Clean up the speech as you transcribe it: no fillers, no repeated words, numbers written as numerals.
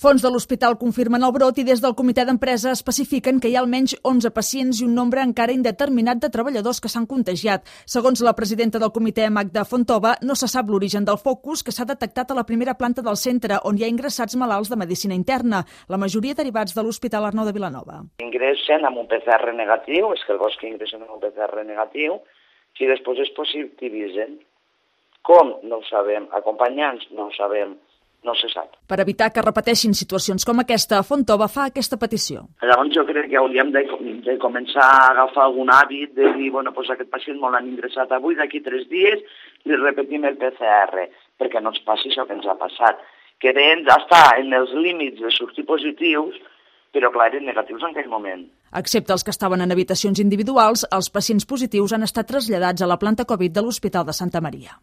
Fons de l'hospital confirmen el brot i des del comitè d'empresa especifiquen que hi ha almenys 11 pacients i un nombre encara indeterminat de treballadors que s'han contagiat. Segons la presidenta del comitè, Magda Fontova, no se sap l'origen del focus que s'ha detectat a la primera planta del centre, on hi ha ingressats malalts de medicina interna, la majoria derivats de l'Hospital Arnau de Vilanova. Ingressen amb un PCR negatiu, és que el bosc ingressen amb un PCR negatiu, si després es positivitzen. Com? No ho sabem. Acompanyants? No ho sabem. No se sap. Per evitar que repeteixin situacions com aquesta, Fontova fa aquesta petició. Llavors jo crec que hauríem de començar a agafar algun hàbit de dir, doncs aquest pacient me l'han ingressat avui, d'aquí 3 dies, li repetim el PCR, perquè no ens passi això que ens ha passat. Que ells estar en els límits de sortir positius, però clar, eren negatius en aquell moment. Excepte els que estaven en habitacions individuals, els pacients positius han estat traslladats a la planta Covid de l'Hospital de Santa Maria.